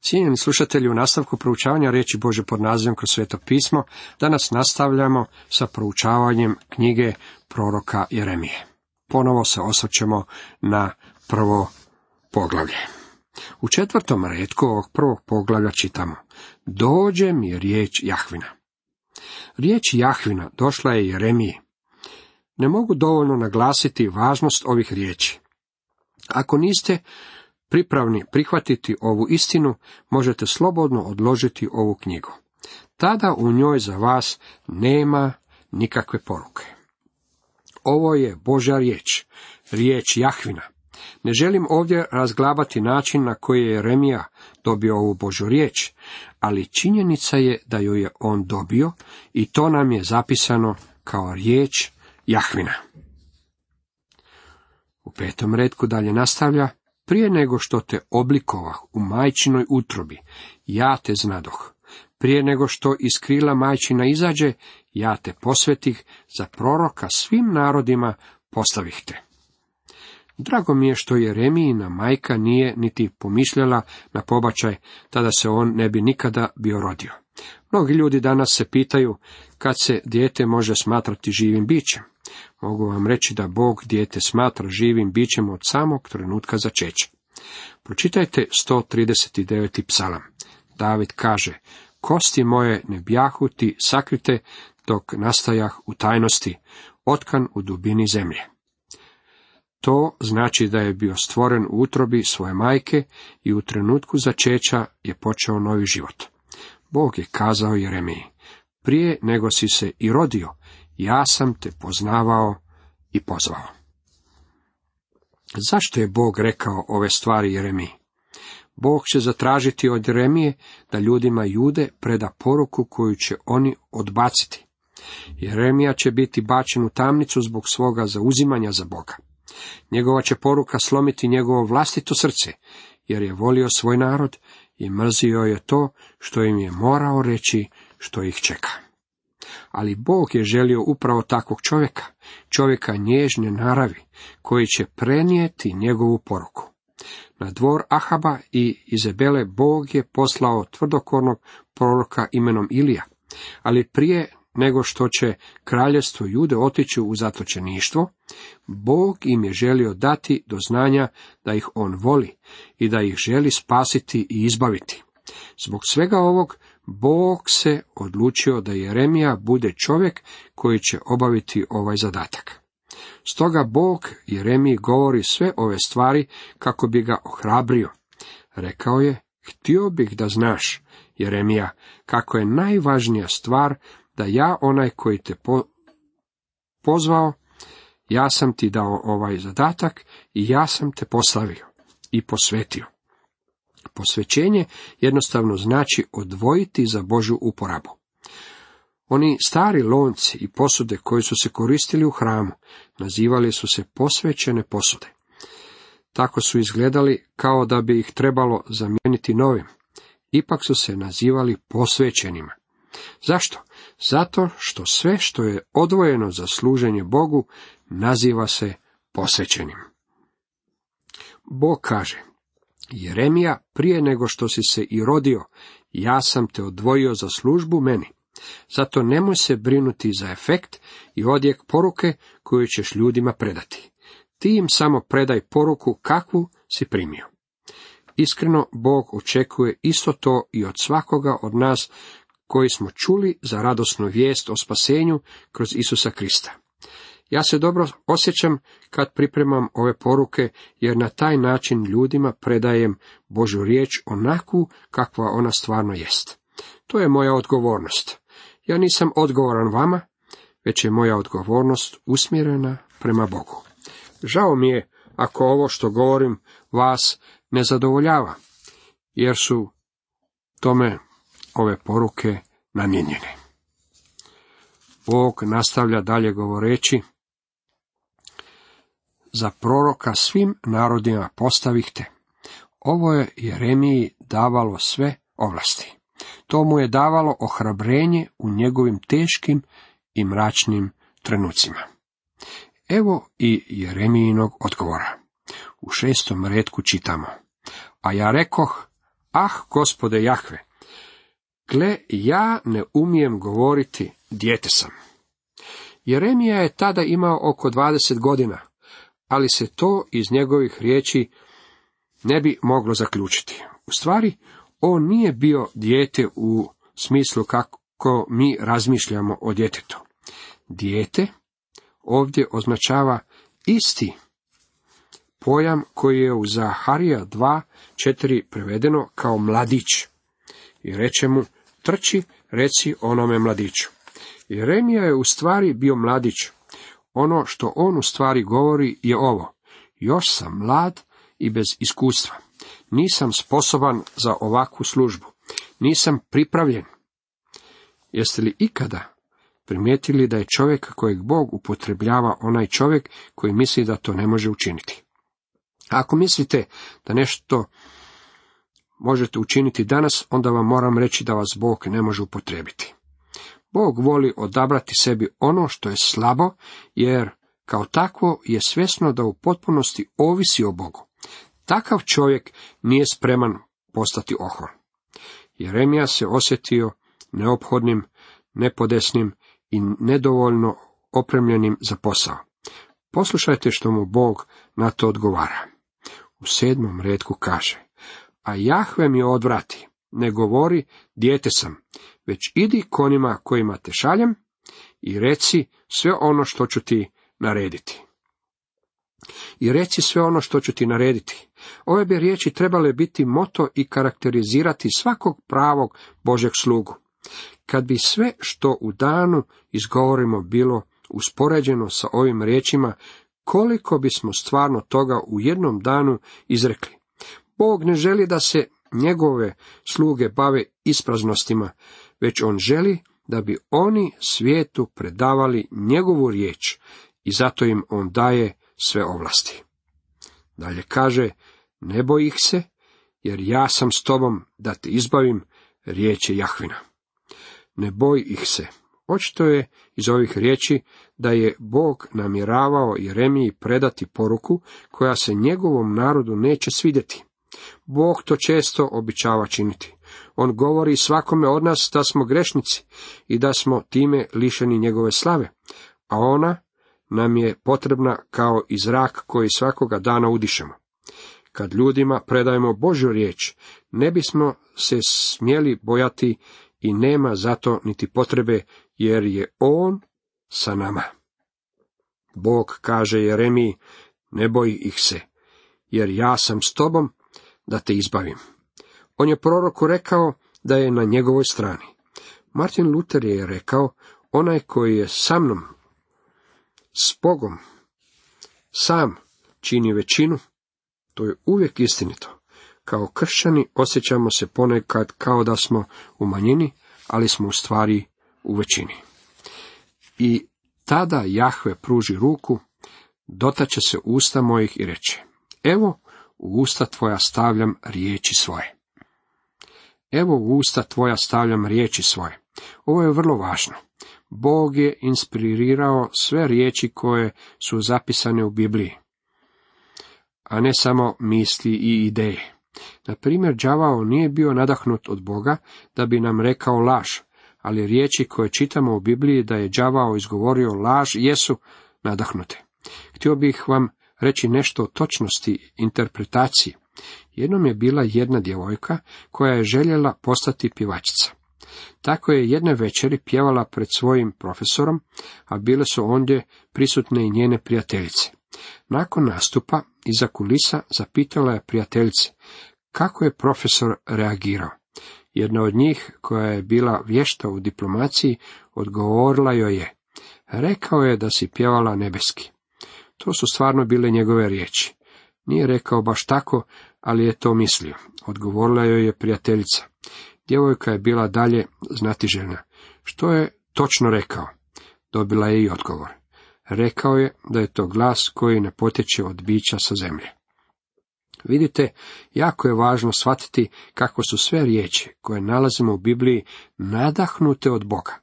Cijenjeni slušatelji, u nastavku proučavanja riječi Božje pod nazivom Kroz sveto pismo, danas nastavljamo sa proučavanjem knjige proroka Jeremije. Ponovo se osvrćemo na prvo poglavlje. U 4. retku ovog prvog poglavlja čitamo: Dođe mi riječ Jahvina. Riječ Jahvina došla je Jeremiji. Ne mogu dovoljno naglasiti važnost ovih riječi. Ako niste pripravni prihvatiti ovu istinu, možete slobodno odložiti ovu knjigu. Tada u njoj za vas nema nikakve poruke. Ovo je Božja riječ, riječ Jahvina. Ne želim ovdje razglabati način na koji je Jeremija dobio ovu Božju riječ, ali činjenica je da ju je on dobio i to nam je zapisano kao riječ Jahvina. U 5. retku dalje nastavlja: Prije nego što te oblikovah u majčinoj utrobi, ja te znadoh. Prije nego što iz krila majčina izađe, ja te posvetih, za proroka svim narodima postavih te. Drago mi je što Jeremijina majka nije niti pomišljala na pobačaj, tada se on ne bi nikada bio rodio. Mnogi ljudi danas se pitaju kad se dijete može smatrati živim bićem. Mogu vam reći da Bog dijete smatra živim bićem od samog trenutka začeća. Pročitajte 139. psalam. David kaže: Kosti moje ne bjahu ti sakrite, dok nastajah u tajnosti, otkan u dubini zemlje. To znači da je bio stvoren u utrobi svoje majke i u trenutku začeća je počeo novi život. Bog je kazao Jeremiji: Prije nego si se i rodio, ja sam te poznavao i pozvao. Zašto je Bog rekao ove stvari Jeremiji? Bog će zatražiti od Jeremije da ljudima Jude preda poruku koju će oni odbaciti. Jeremija će biti bačen u tamnicu zbog svoga zauzimanja za Boga. Njegova će poruka slomiti njegovo vlastito srce, jer je volio svoj narod i mrzio je to što im je morao reći što ih čeka. Ali Bog je želio upravo takvog čovjeka nježne naravi, koji će prenijeti njegovu poruku. Na dvor Ahaba i Izabele Bog je poslao tvrdokornog proroka imenom Ilija, ali prije nego što će kraljevstvo Jude otići u zatočeništvo, Bog im je želio dati do znanja da ih on voli i da ih želi spasiti i izbaviti. Zbog svega ovog, Bog se odlučio da Jeremija bude čovjek koji će obaviti ovaj zadatak. Stoga Bog Jeremiji govori sve ove stvari kako bi ga ohrabrio. Rekao je: Htio bih da znaš, Jeremija, kako je najvažnija stvar da ja, onaj koji te pozvao, ja sam ti dao ovaj zadatak i ja sam te postavio i posvetio. Posvećenje jednostavno znači odvojiti za Božju uporabu. Oni stari lonci i posude koji su se koristili u hramu nazivali su se posvećene posude. Tako su izgledali kao da bi ih trebalo zamijeniti novim. Ipak su se nazivali posvećenima. Zašto? Zato što sve što je odvojeno za služenje Bogu naziva se posvećenim. Bog kaže: Jeremija, prije nego što si se i rodio, ja sam te odvojio za službu meni. Zato nemoj se brinuti za efekt i odjek poruke koju ćeš ljudima predati. Ti im samo predaj poruku kakvu si primio. Iskreno, Bog očekuje isto to i od svakoga od nas koji smo čuli za radosnu vijest o spasenju kroz Isusa Krista. Ja se dobro osjećam kad pripremam ove poruke, jer na taj način ljudima predajem Božju riječ onakvu kakva ona stvarno jest. To je moja odgovornost. Ja nisam odgovoran vama, već je moja odgovornost usmjerena prema Bogu. Žao mi je ako ovo što govorim vas ne zadovoljava, jer su tome ove poruke namijenjene. Bog nastavlja dalje govoreći: Za proroka svim narodima postavih te. Ovo je Jeremiji davalo sve ovlasti. To mu je davalo ohrabrenje u njegovim teškim i mračnim trenucima. Evo i Jeremijinog odgovora. U 6. retku čitamo: A ja rekoh, Ah, Gospode Jahve, gle, ja ne umijem govoriti, dijete sam. Jeremija je tada imao oko 20 godina, ali se to iz njegovih riječi ne bi moglo zaključiti. U stvari, on nije bio dijete u smislu kako mi razmišljamo o djetetu. Dijete ovdje označava isti pojam koji je u Zaharija 2:4 prevedeno kao mladić. I reče mu, trči, reci onome mladiću. Jeremija je u stvari bio mladić. Ono što on u stvari govori je ovo: još sam mlad i bez iskustva. Nisam sposoban za ovakvu službu. Nisam pripravljen. Jeste li ikada primijetili da je čovjek kojeg Bog upotrebljava onaj čovjek koji misli da to ne može učiniti? Ako mislite da nešto možete učiniti danas, onda vam moram reći da vas Bog ne može upotrijebiti. Bog voli odabrati sebi ono što je slabo, jer kao takvo je svjesno da u potpunosti ovisi o Bogu. Takav čovjek nije spreman postati ohol. Jeremija se osjetio neophodnim, nepodesnim i nedovoljno opremljenim za posao. Poslušajte što mu Bog na to odgovara. U 7. retku kaže: a Jahve mi odvrati, ne govori, dijete sam, već idi k onima kojima te šaljem i reci sve ono što ću ti narediti. I reci sve ono što ću ti narediti. Ove bi riječi trebale biti moto i karakterizirati svakog pravog Božjeg slugu. Kad bi sve što u danu izgovorimo bilo uspoređeno sa ovim riječima, koliko bismo stvarno toga u jednom danu izrekli. Bog ne želi da se njegove sluge bave ispraznostima, već on želi da bi oni svijetu predavali njegovu riječ i zato im on daje sve ovlasti. Dalje kaže: ne boj ih se, jer ja sam s tobom da te izbavim, riječ je Jahvina. Ne boj ih se. Očito je iz ovih riječi da je Bog namjeravao Jeremiji predati poruku koja se njegovom narodu neće svidjeti. Bog to često običava činiti. On govori svakome od nas da smo grešnici i da smo time lišeni njegove slave, a ona nam je potrebna kao i zrak koji svakoga dana udišemo. Kad ljudima predajemo Božju riječ, ne bismo se smjeli bojati i nema zato niti potrebe, jer je on sa nama. Bog kaže Jeremiji: ne boj ih se, jer ja sam s tobom da te izbavim. On je proroku rekao da je na njegovoj strani. Martin Luther je rekao: onaj koji je sa mnom, s Bogom, sam čini većinu. To je uvijek istinito. Kao kršćani osjećamo se ponekad kao da smo u manjini, ali smo u stvari u većini. I tada Jahve pruži ruku, dotače se usta mojih i reče: evo, u usta tvoja stavljam riječi svoje. Evo, u usta tvoja stavljam riječi svoje. Ovo je vrlo važno. Bog je inspirirao sve riječi koje su zapisane u Bibliji, a ne samo misli i ideje. Na primjer, đavao nije bio nadahnut od Boga da bi nam rekao laž, ali riječi koje čitamo u Bibliji da je đavao izgovorio laž jesu nadahnute. Htio bih vam reći nešto o točnosti interpretacije. Jednom je bila jedna djevojka koja je željela postati pjevačica. Tako je jedne večeri pjevala pred svojim profesorom, a bile su ondje prisutne i njene prijateljice. Nakon nastupa, iza kulisa, zapitala je prijateljice kako je profesor reagirao. Jedna od njih, koja je bila vješta u diplomaciji, odgovorila joj je: rekao je da si pjevala nebeski. To su stvarno bile njegove riječi. Nije rekao baš tako, ali je to mislio. Odgovorila joj je prijateljica. Djevojka je bila dalje znatiželjna. Što je točno rekao? Dobila je i odgovor. Rekao je da je to glas koji ne potječe od bića sa zemlje. Vidite, jako je važno shvatiti kako su sve riječi koje nalazimo u Bibliji nadahnute od Boga.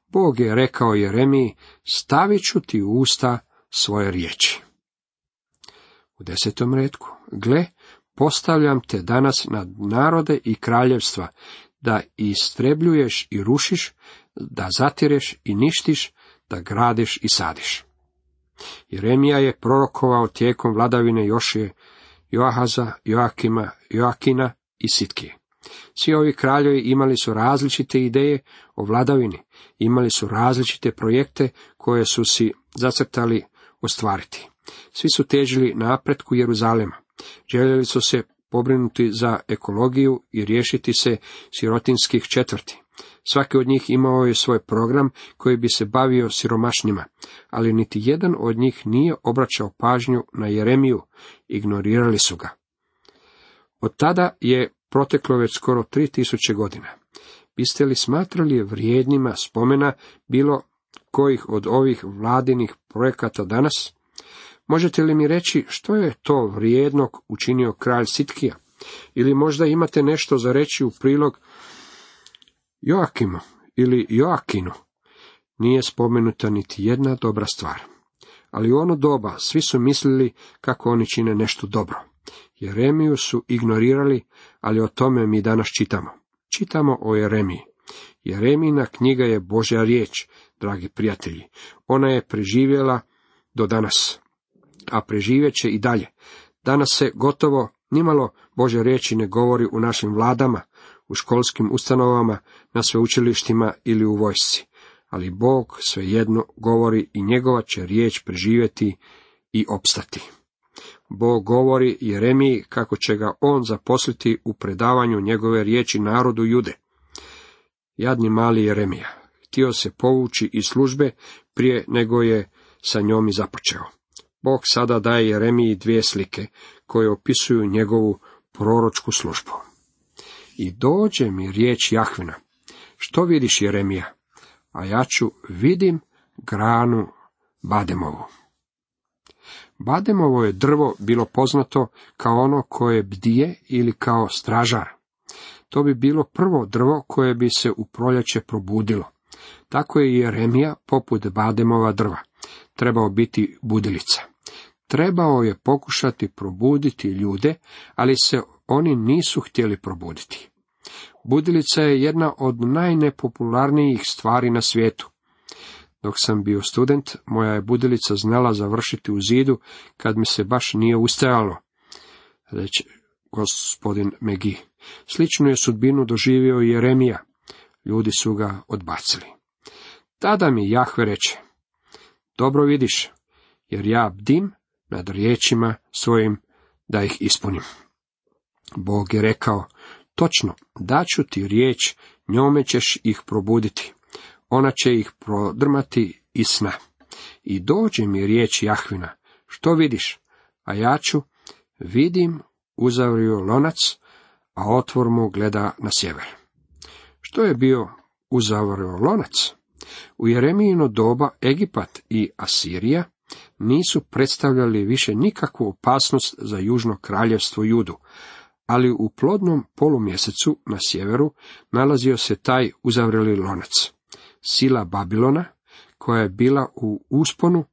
Bog je rekao Jeremiji: stavit ću ti u usta svoje riječi. U 10. retku: gle, postavljam te danas nad narode i kraljevstva, da istrebljuješ i rušiš, da zatireš i ništiš, da gradiš i sadiš. Jeremija je prorokovao tijekom vladavine Jošije, Joahaza, Joakima, Joakina i Sitkije. Svi ovi kraljevi imali su različite ideje o vladavini, imali su različite projekte koje su si zacrtali ostvariti. Svi su težili napretku Jeruzalema. Željeli su se pobrinuti za ekologiju i riješiti se sirotinskih četvrti. Svaki od njih imao je svoj program koji bi se bavio siromašnima, ali niti jedan od njih nije obraćao pažnju na Jeremiju, ignorirali su ga. Od tada je proteklo već skoro 3000 godina. Biste li smatrali vrijednima spomena bilo kojih od ovih vladinih projekata danas? Možete li mi reći što je to vrijednog učinio kralj Sitkija? Ili možda imate nešto za reći u prilog Joakimu ili Joakinu? Nije spomenuta niti jedna dobra stvar. Ali u ono doba svi su mislili kako oni čine nešto dobro. Jeremiju su ignorirali, ali o tome mi danas čitamo. Čitamo o Jeremiji. Jeremijina knjiga je Božja riječ, dragi prijatelji. Ona je preživjela do danas, a preživjet će i dalje. Danas se gotovo nimalo Božje riječi ne govori u našim vladama, u školskim ustanovama, na sveučilištima ili u vojsci. Ali Bog svejedno govori i njegova će riječ preživjeti i opstati. Bog govori Jeremiji kako će ga on zaposliti u predavanju njegove riječi narodu Jude. Jadni mali Jeremija, htio se povući iz službe prije nego je sa njom i započeo. Bog sada daje Jeremiji dvije slike koje opisuju njegovu proročku službu. I dođe mi riječ Jahvina. Što vidiš, Jeremija? A ja ću vidim granu bademovu. Bademovo je drvo bilo poznato kao ono koje bdije ili kao stražar. To bi bilo prvo drvo koje bi se u proljeće probudilo. Tako je Jeremija poput bademova drva. Trebao biti budilica. Trebao je pokušati probuditi ljude, ali se oni nisu htjeli probuditi. Budilica je jedna od najnepopularnijih stvari na svijetu. Dok sam bio student, moja je budilica znala završiti u zidu kad mi se baš nije ustajalo, reče gospodin Megi. Sličnu je sudbinu doživio i Jeremija. Ljudi su ga odbacili. Tada mi Jahve reče, dobro vidiš, jer ja bdim nad riječima svojim da ih ispunim. Bog je rekao, točno, daću ti riječ, njome ćeš ih probuditi. Ona će ih prodrmati iz sna. I dođe mi riječ Jahvina, što vidiš? A ja ću, vidim, uzavrio lonac, a otvor mu gleda na sjever. Što je bio uzavrio lonac? U Jeremijino doba Egipat i Asirija nisu predstavljali više nikakvu opasnost za južno kraljevstvo Judu, ali u plodnom polumjesecu na sjeveru nalazio se taj uzavreli lonac. Sila Babilona, koja je bila u usponu,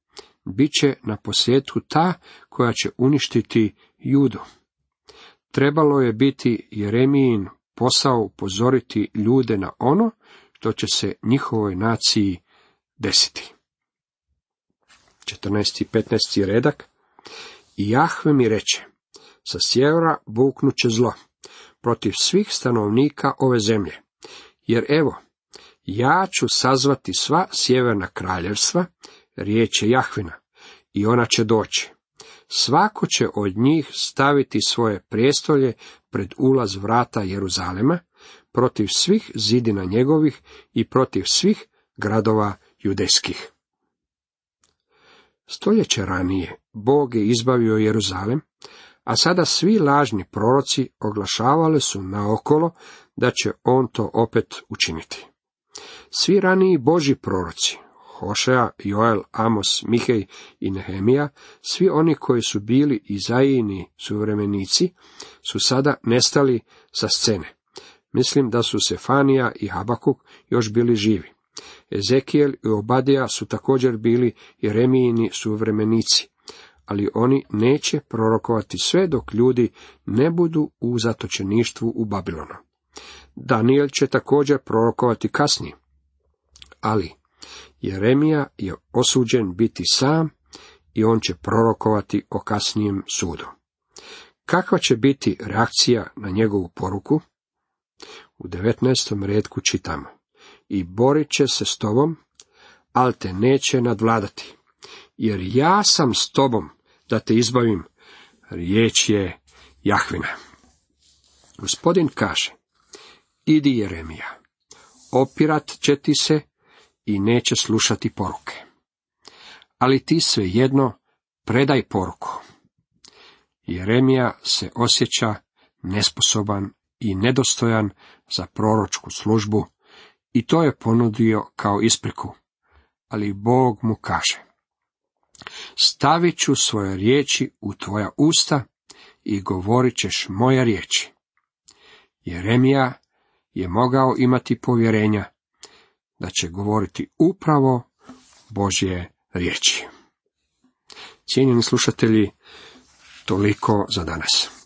bit će na posljedku ta koja će uništiti Judu. Trebalo je biti Jeremijin posao upozoriti ljude na ono što će se njihovoj naciji desiti. 14. i 15. redak. I Jahve mi reče, sa sjevera buknuće zlo protiv svih stanovnika ove zemlje, jer evo, ja ću sazvati sva sjeverna kraljevstva, riječ je Jahvina, i ona će doći. Svako će od njih staviti svoje prijestolje pred ulaz vrata Jeruzalema, protiv svih zidina njegovih i protiv svih gradova judejskih. Stoljeće ranije Bog je izbavio Jeruzalem, a sada svi lažni proroci oglašavali su naokolo da će on to opet učiniti. Svi raniji Božji proroci, Hošea, Joel, Amos, Mihej i Nehemija, svi oni koji su bili Izajini suvremenici, su sada nestali sa scene. Mislim da su Sefanija i Habakuk još bili živi. Ezekijel i Obadija su također bili Jeremijini suvremenici, ali oni neće prorokovati sve dok ljudi ne budu u zatočeništvu u Babilonu. Daniel će također prorokovati kasnije, ali Jeremija je osuđen biti sam i on će prorokovati o kasnijem sudu. Kakva će biti reakcija na njegovu poruku? U 19. retku čitamo: i borit će se s tobom, ali te neće nadvladati, jer ja sam s tobom da te izbavim, riječ je Jahvina. Gospodin kaže: idi Jeremija, opirat će ti se i neće slušati poruke. Ali ti svejedno predaj poruku. Jeremija se osjeća nesposoban i nedostojan za proročku službu i to je ponudio kao ispriku, ali Bog mu kaže: stavit ću svoje riječi u tvoja usta i govorit ćeš moje riječi. Jeremija je mogao imati povjerenja da će govoriti upravo Božje riječi. Cijenjeni slušatelji, toliko za danas.